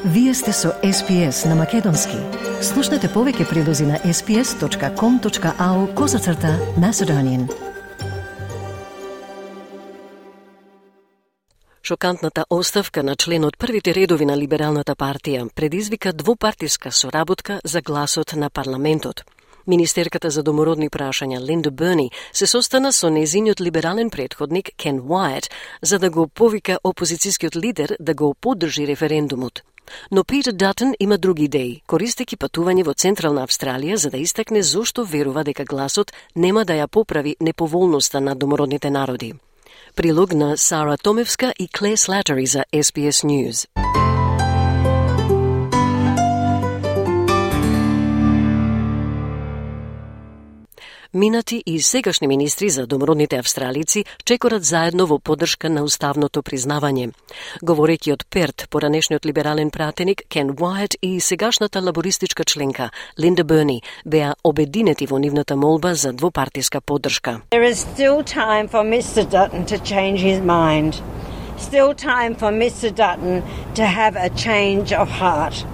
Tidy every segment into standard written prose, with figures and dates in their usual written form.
Вие сте со SPS на Македонски. Слушнете повеќе прилози на sps.com.au/Macedonian. Шокантната оставка на член од првите редови на Либералната партија предизвика двупартиска соработка за гласот на парламентот. Министерката за домородни прашања Линда Берни се состана со незиниот либерален претходник Кен Уајт за да го повика опозицијскиот лидер да го поддржи референдумот. Но Питер Датон има други идеи, користејќи патување во Централна Австралија за да истакне зошто верува дека гласот нема да ја поправи неповолноста на домородните народи. Прилог на Сара Томевска и Клеј Слатери за SBS News. Минати и сегашни министри за домородните австралици чекорат заедно во поддршка на уставното признавање. Говорејќи од Перт, поранешниот либерален пратеник Кен Уајт и сегашната лабористичка членка Линда Берни беа обединети во нивната молба за двопартиска поддршка. There is still time for Mr. Dutton to change his mind. Still time for Mr. Dutton to have a change of heart.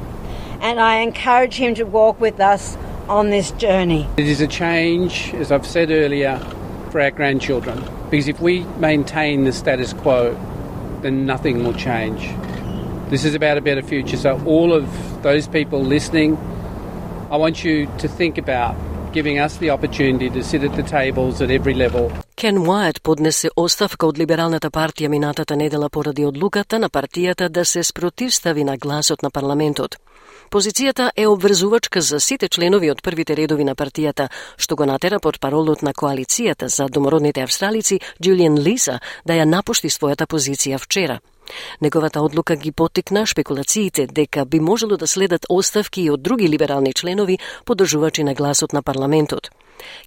And I encourage him to walk with us on this journey. It is a change, as I've said earlier, for our grandchildren. Because if we maintain the status quo, then nothing will change. This is about a better future. So all of those people listening, I want you to think about giving us the opportunity to sit at the tables at every level. Кен Уајт поднесе оставка од Либералната партија минатата недела поради одлуката на партијата да се спротивстави на гласот на парламентот. Позицијата е обврзувачка за сите членови од првите редови на партијата, што го натера под паролот на коалицијата за домородните австралици Џулијан Лиса да ја напушти својата позиција вчера. Неговата одлука ги поттикна шпекулациите дека би можело да следат оставки и од други либерални членови поддржувачи на гласот на парламентот.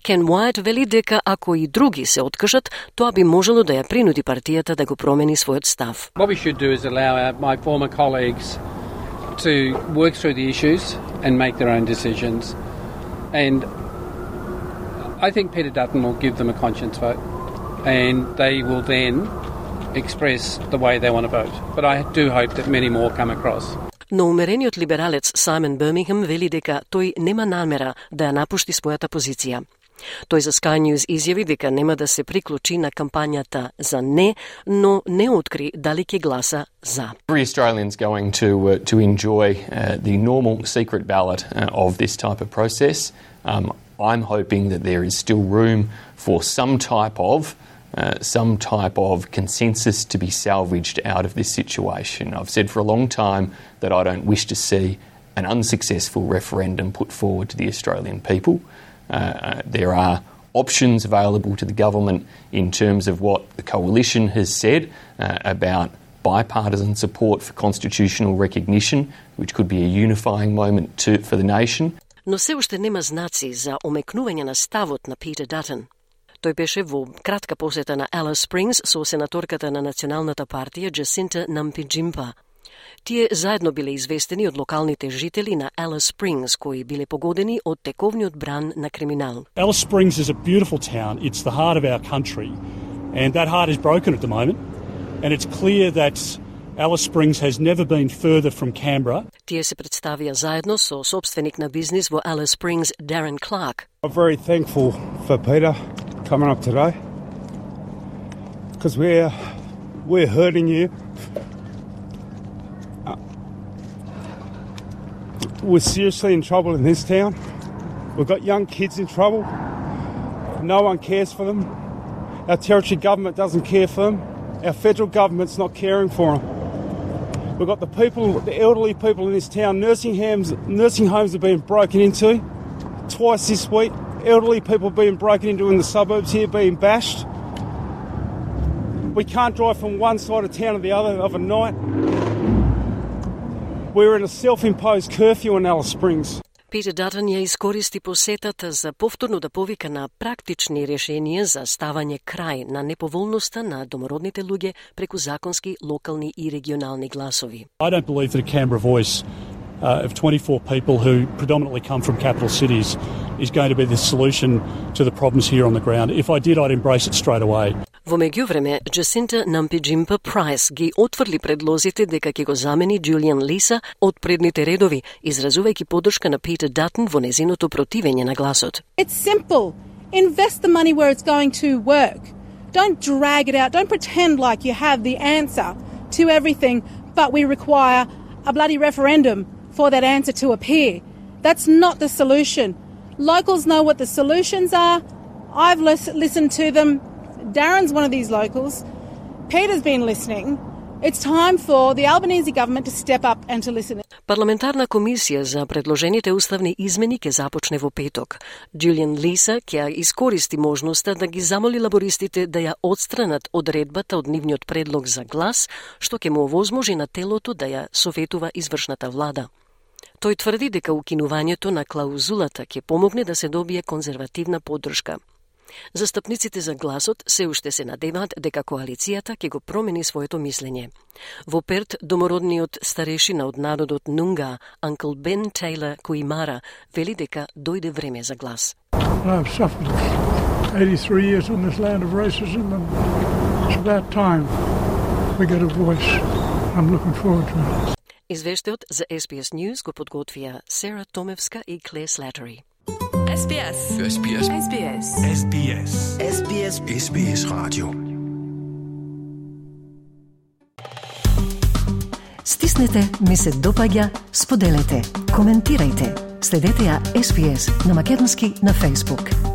Кен Уајт вели дека ако и други се откажат, тоа би можело да ја принуди партијата да го промени својот став. What we should do is allow my former colleagues to work through the issues and make their own decisions. And I think Peter Dutton will give them a conscience vote and they will then express the way they want to vote. But I do hope that many more come across. Но умерениот либералец Саймон Бирмингем вели дека тој нема намера да ја напушти својата позиција. Тој за Sky News изјави дека нема да се приклучи на кампањата за не, но не откри дали ќе гласа за. Every Australian's going to enjoy the normal secret ballot of this type of process. I'm hoping that there is still room for some type of consensus to be salvaged out of this situation. I've said for a long time that I don't wish to see an unsuccessful referendum put forward to the Australian people. There are options available to the government in terms of what the coalition has said about bipartisan support for constitutional recognition, which could be a unifying moment for the nation. Но се уште нема знаци за омекнување на ставот на Питер Датон. Тој беше во кратка посета на Алис Спрингс со сенаторката на Националната партија Джасинта Нампи-Джимпа. Тие заедно биле известени од локалните жители на Алис Спрингс кои биле погодени од тековниот бран на криминал. Alice Springs is a beautiful town. It's the heart of our country. And that heart is broken at the moment. And it's clear that Alice Springs has never been further from Canberra. Тие се представија заедно со собственик на бизнис во Alice Springs, Darren Clark. I'm very thankful for Peter coming up today because we're hurting you. We're seriously in trouble in this town. We've got young kids in trouble. No one cares for them. Our territory government doesn't care for them. Our federal government's not caring for them. We've got the elderly people in this town. Nursing homes have been broken into twice this week. Elderly people being broken into in the suburbs here, being bashed. We can't drive from one side of town to the other of a night. We're in a self-imposed curfew in Alice Springs. Питер Датон ја искористи посетата за повторно да повика на практични решенија за ставање крај на неповолноста на домородните луѓе преку законски, локални и регионални гласови. I don't believe that a Canberra voice of 24 people who predominantly come from capital cities is going to be the solution to the problems here on the ground. If I did, I'd embrace it straight away. Во меѓувреме, Джасинта Нампи-Джимпа-Прайс ги отврли предлозите дека ќе го замени Джулиан Лиса од предните редови, изразувајќи поддршка на Питер Датон во незиното противење на гласот. It's simple. Invest the money where it's going to work. Don't drag it out. Don't pretend like you have the answer to everything, but we require a bloody referendum for that answer to appear. That's not the solution. Locals know what the solutions are. I've listened to them. Darren's one of these locals. Peter's been listening. It's time for the Albanese government to step up and to listen. Парламентарна комисија за предложените уставни измени ќе започне во петок. Джулиан Лиса ќе искористи можноста да ги замоли лабористите да ја отстранат одредбата од нивниот предлог за глас, што ќе му овозможи на телото да ја советува извршната влада. Тој тврди дека укинувањето на клаузулата ќе помогне да се добие конзервативна поддршка. Застапниците за гласот се уште се надеваат дека коалицијата ќе го промени своето мислење. Во Перт, домородниот старешина од народот Нунга, Uncle Ben Taylor Kuimara, вели дека дојде време за глас. I've suffered 83 years on this land of racism and it's about time we get a voice. I'm looking forward to it. Извештајот за SBS News го подготвија Сера Томевска и Кле Слатери. SBS. SBS. SBS. SBS. SBS. SBS Radio. Стиснете, ми се допаѓа, споделете, коментирајте. Следете ја SBS на македонски на Facebook.